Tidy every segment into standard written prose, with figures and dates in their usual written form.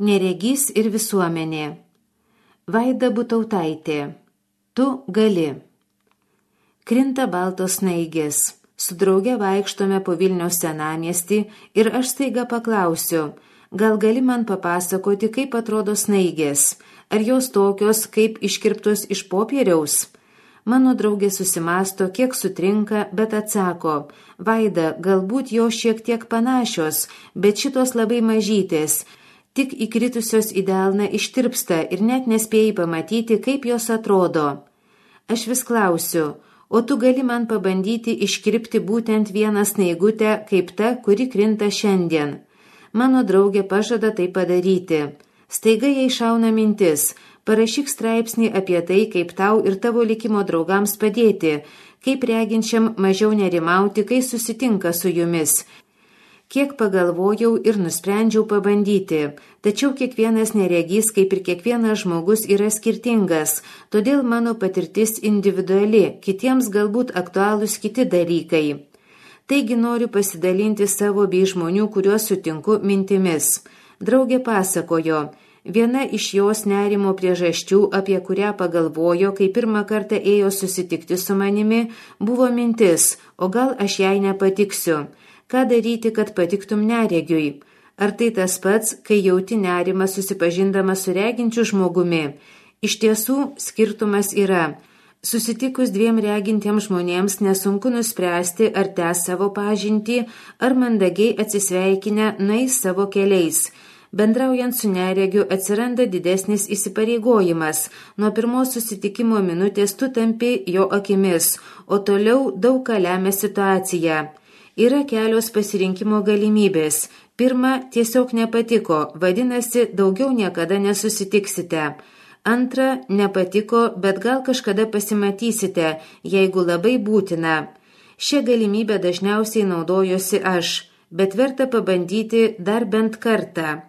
Neregys ir visuomenė. Vaida Butautaitė. Tu gali. Krinta baltos snaigės. Su drauge vaikštome po Vilniaus senamiestį ir aš staiga paklausiu, gal gali man papasakoti, kaip atrodo snaigės, ar jos tokios, kaip iškirptos iš popieriaus? Mano draugė susimasto, kiek sutrinka, bet atsako, Vaida, galbūt jos šiek tiek panašios, bet šitos labai mažytės, tik įkritusios į delną ištirpsta ir net nespėjai pamatyti, kaip jos atrodo. Aš vis klausiu, o tu gali man pabandyti iškirpti būtent vieną snaigutę, kaip ta, kuri krinta šiandien. Mano draugė pažada tai padaryti. Staiga jai šauna mintis, parašyk straipsnį apie tai, kaip tau ir tavo likimo draugams padėti, kaip reginčiam mažiau nerimauti, kai susitinka su jumis. Kiek pagalvojau ir nusprendžiau pabandyti, tačiau kiekvienas neregys, kaip ir kiekvienas žmogus, yra skirtingas, todėl mano patirtis individuali, kitiems galbūt aktualūs kiti dalykai. Taigi noriu pasidalinti savo bei žmonių, kuriuos sutinku, mintimis. Draugė pasakojo, viena iš jos nerimo priežasčių, apie kurią pagalvojo, kai pirmą kartą ėjo susitikti su manimi, buvo mintis, o gal aš jai nepatiksiu. Ką daryti, kad patiktum neregiui? Ar tai tas pats, kai jauti nerimą susipažindama su reginčiu žmogumi? Iš tiesų, skirtumas yra. Susitikus dviem regintiems žmonėms nesunku nuspręsti, ar tęs savo pažintį, ar mandagiai atsisveikinę nueis savo keliais. Bendraujant su neregiu atsiranda didesnis įsipareigojimas. Nuo pirmos susitikimo minutės tu tampi jo akimis, o toliau daug ką lemia situacija. Yra kelios pasirinkimo galimybės. Pirma, tiesiog nepatiko, vadinasi, daugiau niekada nesusitiksite. Antra, nepatiko, bet gal kažkada pasimatysite, jeigu labai būtina. Šią galimybę dažniausiai naudojosi aš, bet verta pabandyti dar bent kartą.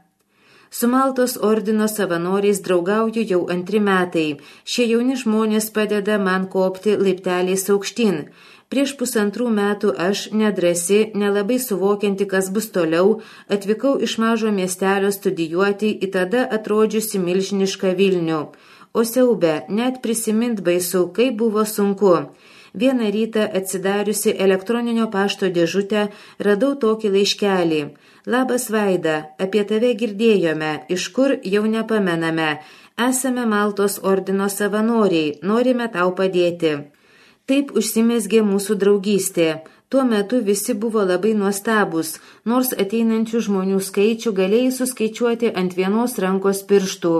Su Maltos ordino savanoriais draugauju jau 2 metai. Šie jauni žmonės padeda man kopti laipteliais aukštyn. Prieš 1,5 metų aš, nedrasi, nelabai suvokianti, kas bus toliau, atvykau iš mažo miestelio studijuoti į tada atrodžiusi milžinišką Vilnių. O siaube, net prisimint baisu, kaip buvo sunku. Vieną rytą atsidariusi elektroninio pašto dėžutę, radau tokį laiškelį. Labas Vaida, apie tave girdėjome, iš kur jau nepamename. Esame Maltos ordino savanoriai, norime tau padėti. Taip užsimezgė mūsų draugystė. Tuo metu visi buvo labai nuostabūs, nors ateinančių žmonių skaičių galėjai suskaičiuoti ant vienos rankos pirštų.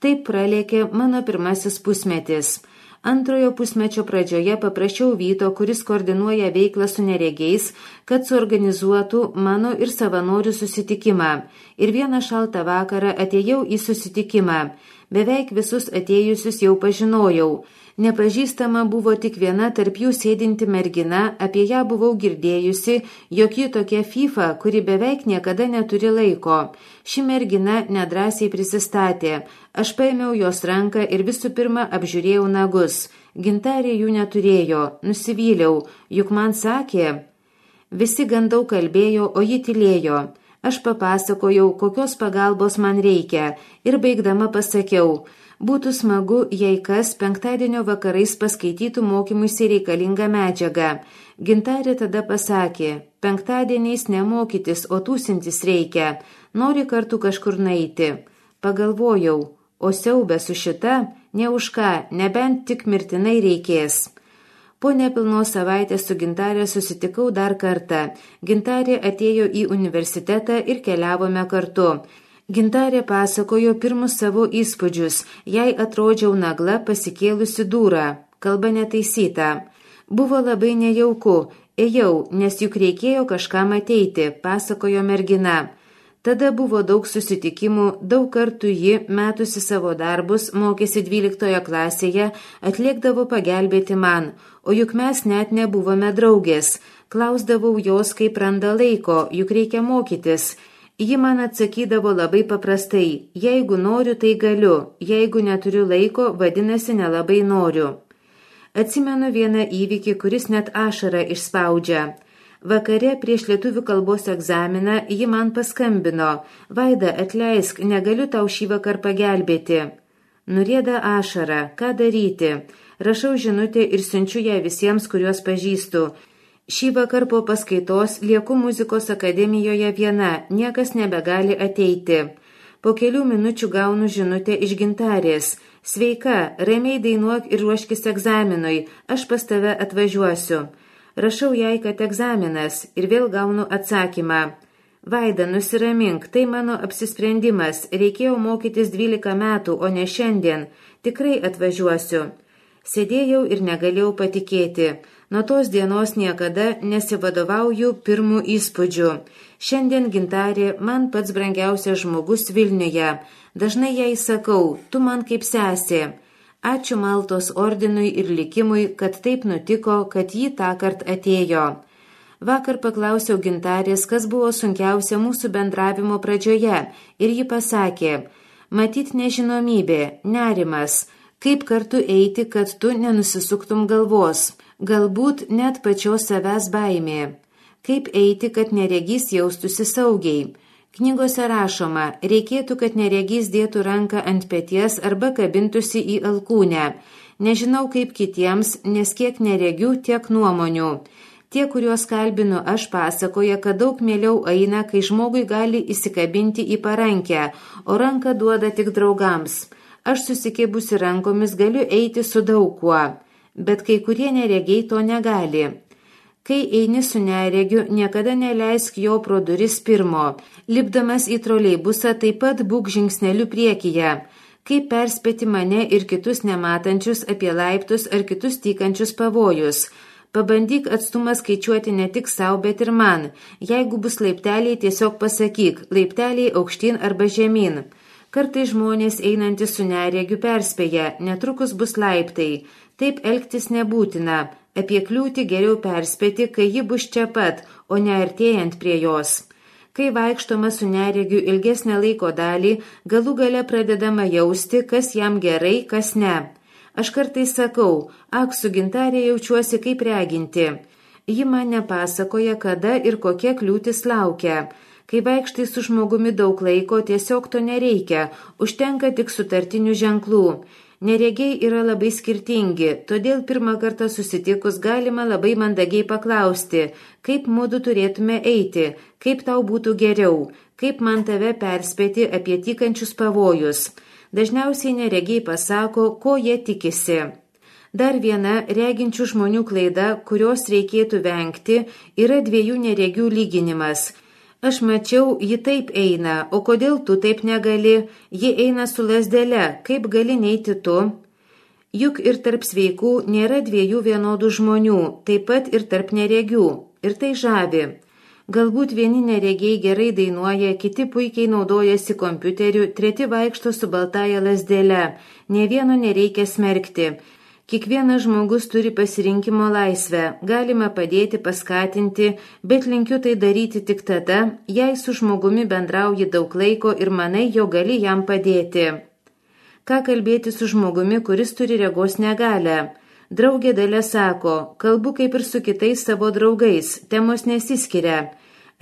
Taip pralėkė mano pirmasis pusmetis. Antrojo pusmečio pradžioje paprašiau Vyto, kuris koordinuoja veiklą su neregiais, kad suorganizuotų mano ir savanorių susitikimą. Ir vieną šaltą vakarą atėjau į susitikimą. Beveik visus atėjusius jau pažinojau. Nepažįstama buvo tik viena tarp jų sėdinti mergina, apie ją buvau girdėjusi, jog ji tokia FIFA, kuri beveik niekada neturi laiko. Ši mergina nedrąsiai prisistatė. Aš paėmiau jos ranką ir visų pirma apžiūrėjau nagus. Gintarė jų neturėjo, nusivyliau, juk man sakė. Visi gan daug kalbėjo, o ji tylėjo. Aš papasakojau, kokios pagalbos man reikia ir baigdama pasakiau, būtų smagu, jei kas penktadienio vakarais paskaitytų mokymuisi reikalingą medžiagą. Gintarė tada pasakė, penktadieniais nemokytis, o tūsintis reikia, nori kartu kažkur nueiti. Pagalvojau, o siaubė su šita, ne už ką, nebent tik mirtinai reikės. Po nepilnos savaitės su Gintarė susitikau dar kartą. Gintarė atėjo į universitetą ir keliavome kartu. Gintarė pasakojo pirmus savo įspūdžius, jai atrodžiau nagla pasikėlusi dūrą, kalba netaisyta. Buvo labai nejauku, ėjau, nes juk reikėjo kažkam ateiti, pasakojo mergina. Tada buvo daug susitikimų, daug kartų ji, metusi savo darbus, mokėsi 12 klasėje, atliekdavo pagelbėti man, o juk mes net nebuvome draugės. Klausdavau jos, kaip randa laiko, juk reikia mokytis. Ji man atsakydavo labai paprastai, jeigu noriu, tai galiu, jeigu neturiu laiko, vadinasi nelabai noriu. Atsimenu vieną įvykį, kuris net ašarą išspaudžia. Vakare prieš lietuvių kalbos egzaminą ji man paskambino. Vaida, atleisk, negaliu tau šį vakar pagelbėti. Nurieda ašara, ką daryti? Rašau žinutę ir siunčiu ją visiems, kuriuos pažįstu. Šį vakar po paskaitos lieku muzikos akademijoje viena, niekas nebegali ateiti. Po kelių minučių gaunu žinutę iš Gintarės. Sveika, ramiai dainuok ir ruoškis egzaminui, aš pas tave atvažiuosiu. Rašau jai, kad egzaminas ir vėl gaunu atsakymą. Vaida, nusiramink, tai mano apsisprendimas, reikėjo mokytis 12 metų, o ne šiandien, tikrai atvažiuosiu. Sėdėjau ir negalėjau patikėti. Nuo tos dienos niekada nesivadovauju pirmų įspūdžių. Šiandien Gintarė man pats brangiausias žmogus Vilniuje. Dažnai jai sakau, tu man kaip sesė. Ačiū Maltos ordinui ir likimui, kad taip nutiko, kad ji tąkart atėjo. Vakar paklausiau Gintarės, kas buvo sunkiausia mūsų bendravimo pradžioje, ir ji pasakė, matyt nežinomybė, nerimas, kaip kartu eiti, kad tu nenusisuktum galvos, galbūt net pačios savęs baimė, kaip eiti, kad neregys jaustųsi saugiai. Knygose rašoma, reikėtų, kad neregys dėtų ranką ant peties arba kabintųsi į alkūnę. Nežinau kaip kitiems, nes kiek neregių, tiek nuomonių. Tie, kuriuos kalbinu aš, pasakoja, kad daug mieliau eina, kai žmogui gali įsikabinti į parankę, o ranką duoda tik draugams. Aš susikėbusi rankomis galiu eiti su daug kuo, bet kai kurie neregiai to negali. Kai eini su neregiu, niekada neleisk jo pro duris pirmo. Lipdamas į troleibusą taip pat būk žingsneliu priekyje. Kaip perspėti mane ir kitus nematančius apie laiptus ar kitus tykančius pavojus. Pabandyk atstumą skaičiuoti ne tik savo, bet ir man. Jeigu bus laipteliai, tiesiog pasakyk, laipteliai aukštyn arba žemyn. Kartai žmonės einantys su neregiu perspėja, netrukus bus laiptai. Taip elgtis nebūtina. Apie kliūtį geriau perspėti, kai ji bus čia pat, o ne artėjant prie jos. Kai vaikštoma su neregiu ilgesnę laiko dalį, galų gale pradedama jausti, kas jam gerai, kas ne. Aš kartais sakau, ak, su Gintarė jaučiuosi kaip reginti. Ji man nepasakoja, kada ir kokia kliūtis laukia. Kai vaikštai su žmogumi daug laiko, tiesiog to nereikia, užtenka tik sutartinių ženklų. Neregiai yra labai skirtingi, todėl pirmą kartą susitikus galima labai mandagiai paklausti, kaip mudu turėtume eiti, kaip tau būtų geriau, kaip man tave perspėti apie tykančius pavojus. Dažniausiai neregiai pasako, ko jie tikisi. Dar viena reginčių žmonių klaida, kurios reikėtų vengti, yra dviejų neregių lyginimas. Aš mačiau, ji taip eina, o kodėl tu taip negali? Ji eina su lazdele, kaip gali neiti tu? Juk ir tarp sveikų nėra dviejų vienodų žmonių, taip pat ir tarp neregių. Ir tai žavi. Galbūt vieni neregiai gerai dainuoja, kiti puikiai naudojasi kompiuteriu, treti vaikšto su baltaja lazdele. Nė vieno nereikia smerkti. Kiekvienas žmogus turi pasirinkimo laisvę, galima padėti, paskatinti, bet linkiu tai daryti tik tada, jei su žmogumi bendrauji daug laiko ir manai, jo gali jam padėti. Ką kalbėti su žmogumi, kuris turi regos negalią? Draugė Dalia sako, kalbu kaip ir su kitais savo draugais, temos nesiskiria.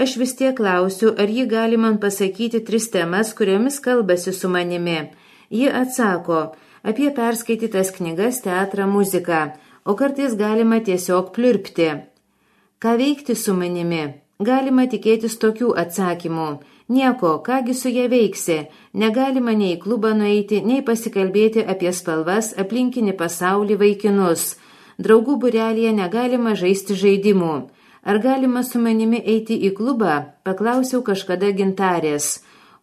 Aš vis tiek klausiu, ar ji gali man pasakyti 3 temas, kuriomis kalbasi su manimi. Ji atsako, apie perskaitytas knygas, teatrą, muziką, o kartais galima tiesiog pliurpti. Ką veikti su manimi? Galima tikėtis tokių atsakymų. Nieko, kągi su ja veiksi. Negalima nei į klubą nueiti, nei pasikalbėti apie spalvas, aplinkinį pasaulį, vaikinus. Draugų būrelyje negalima žaisti žaidimų. Ar galima su manimi eiti į klubą? Paklausiau kažkada Gintarės.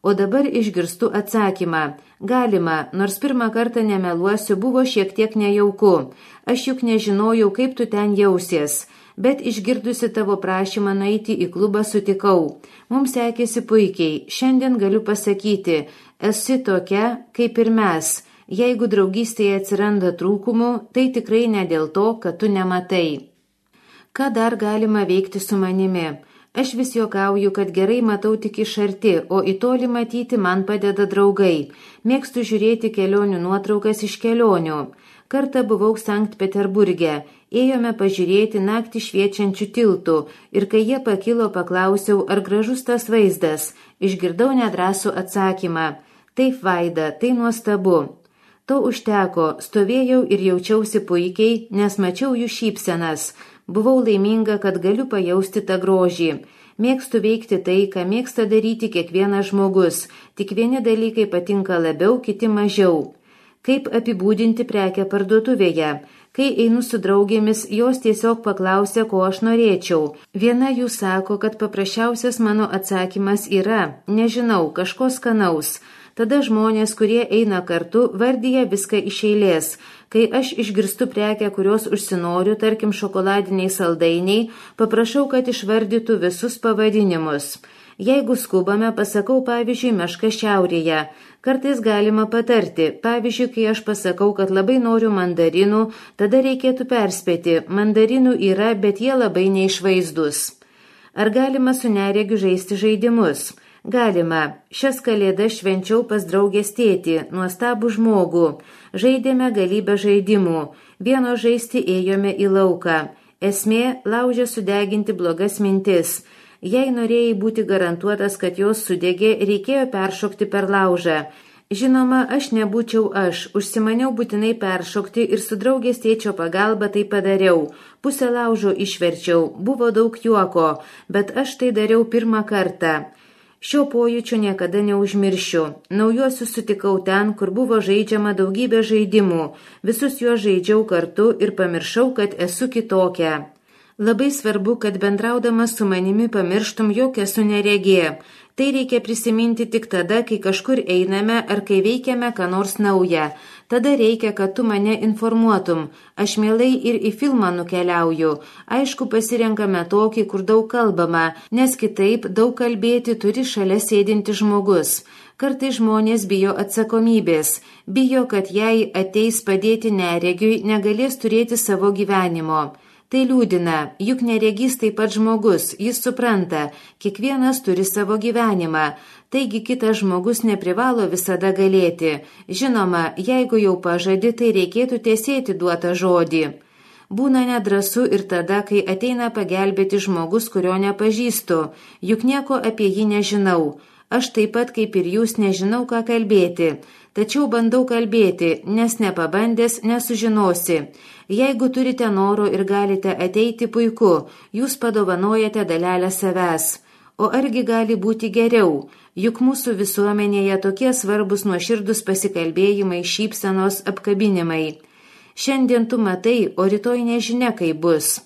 O dabar išgirstu atsakymą. Galima, nors pirmą kartą nemeluosiu, buvo šiek tiek nejauku. Aš juk nežinojau, kaip tu ten jausies. Bet išgirdusi tavo prašymą nueiti į klubą sutikau. Mums sekėsi puikiai. Šiandien galiu pasakyti, esi tokia, kaip ir mes. Jeigu draugystėje atsiranda trūkumų, tai tikrai ne dėl to, kad tu nematai. Ką dar galima veikti su manimi? Aš vis juokauju, kad gerai matau tik iš arti, o į tolį matyti man padeda draugai. Mėgstu žiūrėti kelionių nuotraukas iš kelionių. Kartą buvau Sankt Peterburge. Ėjome pažiūrėti naktį šviečiančių tiltų ir kai jie pakilo, paklausiau, ar gražus tas vaizdas. Išgirdau nedrąsų atsakymą. Taip, Vaida, tai nuostabu. To užteko, stovėjau ir jaučiausi puikiai, nes mačiau jų šypsenas. Buvau laiminga, kad galiu pajausti tą grožį. Mėgstu veikti tai, ką mėgsta daryti kiekvienas žmogus, tik vieni dalykai patinka labiau, kiti mažiau. Kaip apibūdinti prekę parduotuvėje? Kai einu su draugėmis, jos tiesiog paklausia, ko aš norėčiau. Viena jų sako, kad paprasčiausias mano atsakymas yra, nežinau, kažko skanaus. Tada žmonės, kurie eina kartu, vardyja viską iš eilės. Kai aš išgirstu prekę, kurios užsinoriu, tarkim šokoladiniai saldainiai, paprašau, kad išvardytų visus pavadinimus. Jeigu skubame, pasakau, pavyzdžiui, meška šiaurėje. Kartais galima patarti. Pavyzdžiui, kai aš pasakau, kad labai noriu mandarinų, tada reikėtų perspėti. Mandarinų yra, bet jie labai neišvaizdus. Ar galima su neregiu žaisti žaidimus? Galima. Šias kalėdas švenčiau pas draugės tėtį, nuostabų žmogų. Žaidėme galybę žaidimų. Vieno žaisti ėjome į lauką. Esmė – laužė sudeginti blogas mintis. Jei norėjai būti garantuotas, kad jos sudegė, reikėjo peršokti per laužą. Žinoma, aš nebūčiau aš. Užsimaniau būtinai peršokti ir su draugės tėčio pagalba tai padariau. Pusę laužo išverčiau. Buvo daug juoko, bet aš tai dariau pirmą kartą. Šio pojūčio niekada neužmiršiu. Naujuosius sutikau ten, kur buvo žaidžiama daugybė žaidimų. Visus juos žaidžiau kartu ir pamiršau, kad esu kitokia. Labai svarbu, kad bendraudamas su manimi pamirštum, jog esu neregė. Tai reikia prisiminti tik tada, kai kažkur einame ar kai veikiame ką nors naują. Tada reikia, kad tu mane informuotum. Aš mielai ir į filmą nukeliauju. Aišku, pasirenkame tokį, kur daug kalbama, nes kitaip daug kalbėti turi šalia sėdinti žmogus. Kartais žmonės bijo atsakomybės. Bijo, kad jei ateis padėti neregiui, negalės turėti savo gyvenimo. Tai liūdina, juk neregys taip pat žmogus, jis supranta, kiekvienas turi savo gyvenimą, taigi kitas žmogus neprivalo visada galėti. Žinoma, jeigu jau pažadi, tai reikėtų tesėti duotą žodį. Būna nedrąsu ir tada, kai ateina pagelbėti žmogus, kurio nepažįstu, juk nieko apie jį nežinau. Aš taip pat kaip ir jūs nežinau, ką kalbėti, tačiau bandau kalbėti, nes nepabandęs nesužinosi. Jeigu turite noro ir galite ateiti, puiku, jūs padovanojate dalelę savęs. O argi gali būti geriau? Juk mūsų visuomenėje tokie svarbus nuoširdus pasikalbėjimai, šypsenos, apkabinimai. Šiandien tu matai, o rytoj nežinia, kaip bus.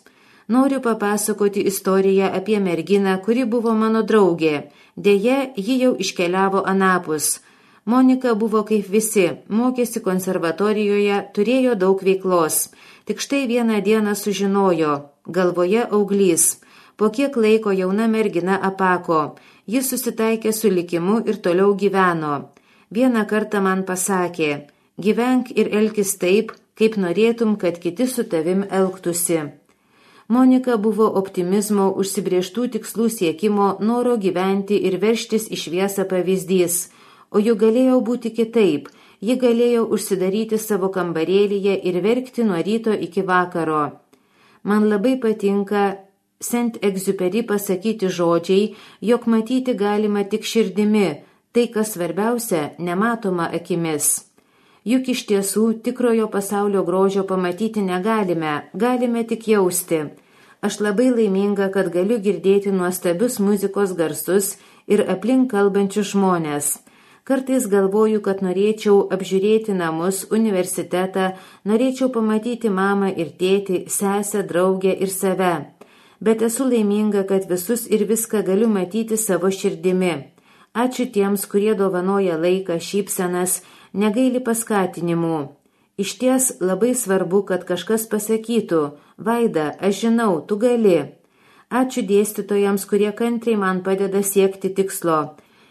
Noriu papasakoti istoriją apie merginą, kuri buvo mano draugė. Deja, ji jau iškeliavo anapus. Monika buvo kaip visi, mokėsi konservatorijoje, turėjo daug veiklos. Tik štai vieną dieną sužinojo, galvoje auglys. Po kiek laiko jauna mergina apako. Jis susitaikė su likimu ir toliau gyveno. Vieną kartą man pasakė, gyvenk ir elkis taip, kaip norėtum, kad kiti su tavim elgtųsi. Monika buvo optimizmo, užsibrėžtų tikslų siekimo, noro gyventi ir veržtis į šviesą pavyzdys. O juk galėjo būti kitaip. Ji galėjo užsidaryti savo kambarėlyje ir verkti nuo ryto iki vakaro. Man labai patinka Saint-Exupéry pasakyti žodžiai, jog matyti galima tik širdimi, tai kas svarbiausia, nematoma akimis. Juk iš tiesų tikrojo pasaulio grožio pamatyti negalime, galime tik jausti. Aš labai laiminga, kad galiu girdėti nuostabius muzikos garsus ir aplink kalbančius žmonės. Kartais galvoju, kad norėčiau apžiūrėti namus, universitetą, norėčiau pamatyti mamą ir tėtį, sesę, draugę ir save. Bet esu laiminga, kad visus ir viską galiu matyti savo širdimi. Ačiū tiems, kurie dovanoja laiką, šypsenas, negaili paskatinimų. Išties labai svarbu, kad kažkas pasakytų, Vaida, aš žinau, tu gali. Ačiū dėstytojams, kurie kantriai man padeda siekti tikslo.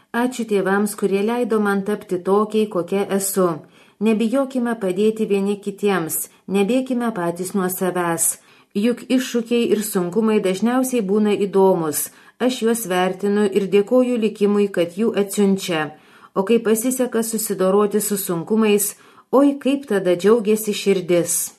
Ačiū tėvams, kurie leido man tapti tokiai, kokia esu. Nebijokime padėti vieni kitiems, nebėkime patys nuo savęs. Juk iššūkiai ir sunkumai dažniausiai būna įdomus. Aš juos vertinu ir dėkoju likimui, kad jų atsiunčia. O kai pasiseka susidoroti su sunkumais, oi kaip tada džiaugiasi širdis.